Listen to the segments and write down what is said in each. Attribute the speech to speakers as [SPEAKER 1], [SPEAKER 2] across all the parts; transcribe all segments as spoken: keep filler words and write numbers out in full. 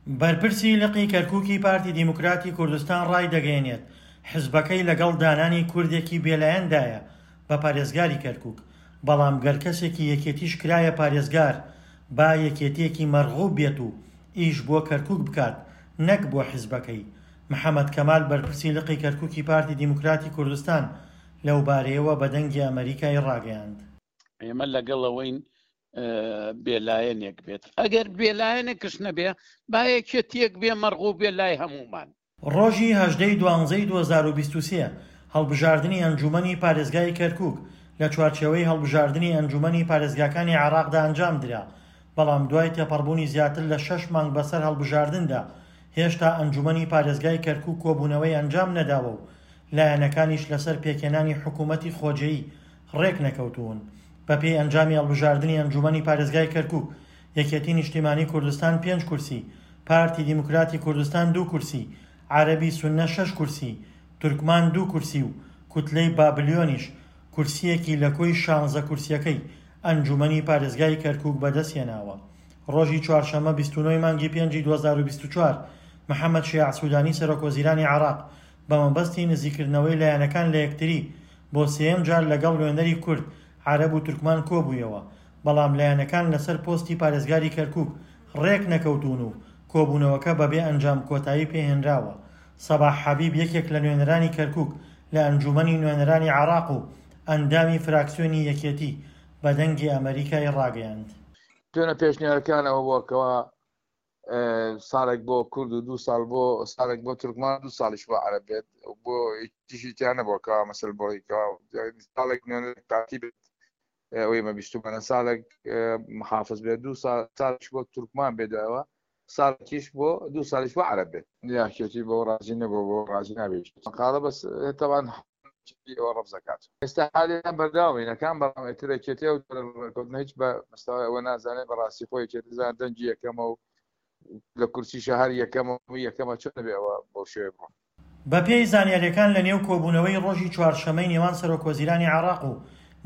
[SPEAKER 1] بەرپرسی لقی کەرکوکی پارتی دیموکراتی کوردستان ڕایدەگەیەنێت، حزبەکەی لەگەڵ دانانی کوردێکی بێلایەندایە بە پارێزگاری کەرکوک، بەڵام گەر کەسێکی یەکێتیش کرایە پارێزگار با یەکێتیەکی مەرغوب بێت و ئیش بۆ کەرکوک بکات نەک بۆ حزبەکەی. محەمەد کەمال بەرپرسی لقی کەرکوکی پارتی دیموکراتی کوردستان لەوبارەیەوە بە دەنگی ئەمەریکای ڕاگەیاند.
[SPEAKER 2] ئێمە لەگەڵ ئەوەین بێلایەنێک بێت، ئەگەر بێلایەنێکش نەبێ با یەکێتیەک بێ مەرغوب بێ لای هەمومان.
[SPEAKER 1] ڕۆژی هەژدە ی دوانزەی دوو هەزار و بیست و سێ هەڵبژاردنی ئەنجوومەنی پارێزگای کەرکوک لە چوارچێوەی هەڵبژاردنی ئەنجوومەنی پارێزگاکانی عێراقدا ئەنجامدرا، بەڵام دوای تێپەڕبوونی زیاتر لە شەش مانگ بەسەر هەڵبژاردندا هێشتا ئەنجوومەنی پارێزگای کەرکوک کۆبوونەوەی ئەنجام نەداوە و لایەنەکانیش لەسەر پێکهێنانی حکوومەتی خۆجێی ڕێکنەکەوتوون. بەپێی ئەنجامی هەڵبژاردنی ئەنجوومەنی پارێزگای کەرکوک، یەکێتی نیشتیمانی کوردستان پێنج کورسی، پارتی دیموکراتی کوردستان دوو کورسی، عەرەبی سوننە شەش کورسی، تورکمان دوو کورسی و کوتلەی بابلیۆنیش کورسییەکی لە کۆی شانزە کورسییەکەی ئەنجوومەنی پارێزگای کەرکوک بەدەستهێناوە. ڕۆژی چوارشەممە بیست و نۆ ی مانگی پێنجی دوو هەزار و بیست و چوار محەمەد شیاع سودانی سەرۆکوەزیرانی عێراق بەمەبەستی نزیکردنەوەی لایەنەکان لە یەکتری بۆ سێیەم جار لەگەڵ نوێنەری کورد، عەرەب و تورکمان کۆبوویەوە، بەڵام لایەنەکان لەسەر پۆستی پارێزگاری کەرکوک ڕێکنەکەوتوون و کۆبوونەوەکە بەبێ ئەنجام کۆتایی پێهێنراوە. سەباح حەبیب یەکێک لە نوێنەرانی کەرکوک لە ئەنجوومەنی نوێنەرانی عێراق و ئەندامی فراکسیۆنی یەکێتی بە دەنگی ئەمەریکای ڕاگەیاند.
[SPEAKER 3] دوێنێ پێشنیارەکان ئەوە بووە کەوا ساڵێک بۆ کورد و دوو ساڵ بۆ ساڵێک بۆ تورکمان دوو ساڵیش بۆ عەرەب بێت، بۆ هیچیشی تیا نەبووە کەوا مەسەل بۆی کەوا ساڵێک نوێنەر پارتی بێت، ئەوەی مە بیستومانە ساڵێک محافظ بێت، دوو ساڵ ساڵیش بۆ تورکمان بێت، دوایەوە ساڵێکیش بۆ دوو ساڵیش بۆ عەرەب بێت. یاکێتی بۆ ڕازی نەبوو، بۆ ڕازی نابێت قاڵە بەس تەوان ئەوە ڕەفز دەکات. ئێستا حالیان بەرداوینەکان، بەڵام ئیتر یەکێتی ئەو ڕێککەوتنە هیچ بە مستەوای ئەوە نازانێت. بەڕاستی خۆی یەکێتی زان دەنگی یەکەمە و لە کورسی شەهر یەکەمە و یەکەمە چۆن دەبێ ئەوە بەو شێوەیە بڕۆ.
[SPEAKER 1] بەپێی زانیاریەکان لە نێو کۆبوونەوەی ڕۆژی چوارشەممەی نێوان سەرۆکوەزیرانی عێراق و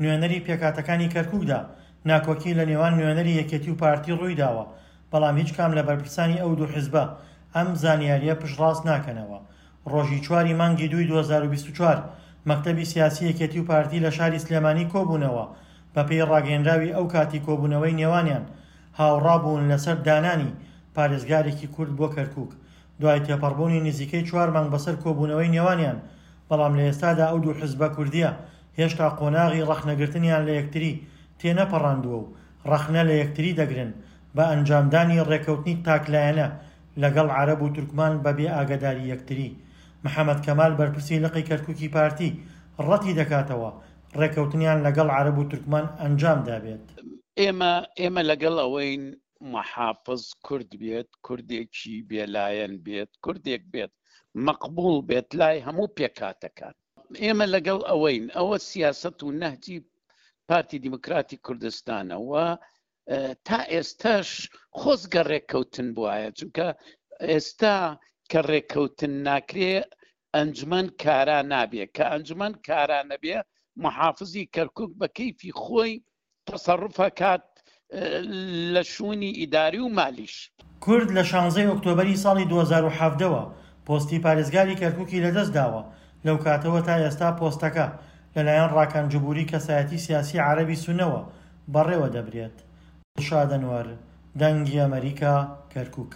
[SPEAKER 1] نوێنەری پێکهاتەکانی کەرکوکدا ناکۆکی لە نێوان نوێنەری یەکێتی و پارتی ڕوویداوە، بەڵام هیچ کام لە بەرپرسانی ئەو دوو حزبە ئەم زانیاریە پشتڕاست ناکەنەوە. ڕۆژی چواری مانگی دووی دوو هەزار و بیست و چوار مەکتەبی سیاسی یەکێتی و پارتی لە شاری سلێمانی کۆبوونەوە، بەپێی ڕاگەیەنراوی ئەو کاتی کۆبوونەوەی نێوانیان هاوڕابوون لەسەر دانانی پارێزگارێکی کورد بۆ کەرکوک دوای تێپەڕبوونی نزیکەی چوار مانگ بەسەر کۆبوونەوەی نێوانیان، بەڵام لە ئێستادا ئەو دوو حزبە کوردیە هێشتا قۆناغی ڕەخنەگرتنیان لە یەکتری تێنەپەڕاندووە و ڕەخنە لە یەکتری دەگرن بە ئەنجامدانی ڕێکەوتنی تاکلایەنە لەگەڵ عەرەب و تورکمان بەبێ ئاگەداری یەکتری. محەمەد کەمال بەرپرسی لقی کەرکوکی پارتی ڕەتی دەکاتەوە ڕێکەوتنیان لەگەڵ عەرەب و تورکمان ئەنجام دابێت.
[SPEAKER 2] ئێمە ئێمە لەگەڵ ئەوەین محافظ کورد بێت، کوردێکی بێلایەن بێت، کوردێک بێت مەقبوڵ بێت لای هەموو پێکهاتەکان. ئێمە لەگەڵ ئەوەین، ئەوە سیاسەت و نەهجی پارتی دیموکراتی کوردستانە و تا ئێستاش خۆزگە ڕێککەوتن بواە، چونکە ئێستا کە ڕێککەوتن ناکرێ ئەنجومەن کارا نابێ، کە ئەنجومەن کارا نەبێ محافزی کەرکوک بە کەیفی خۆی تەسەڕوفە کات لە شوونی ئیداری و مالیش.
[SPEAKER 1] کورد لە شانزەی ئۆکتۆبەری ساڵی دوو هەزار و حەڤدە وە پۆستی پارێزگاری کەرکوکی لەدەست داوە، لەو کاتەوە تا ئێستا پۆستەکە لەلایەن ڕاکان جبوری کەسایەتی سیاسی عەرەبی سوننەوە بەڕێوە دەبرێت. دڵشاد ئەنوەر، دەنگی ئەمەریکا، کەرکوک.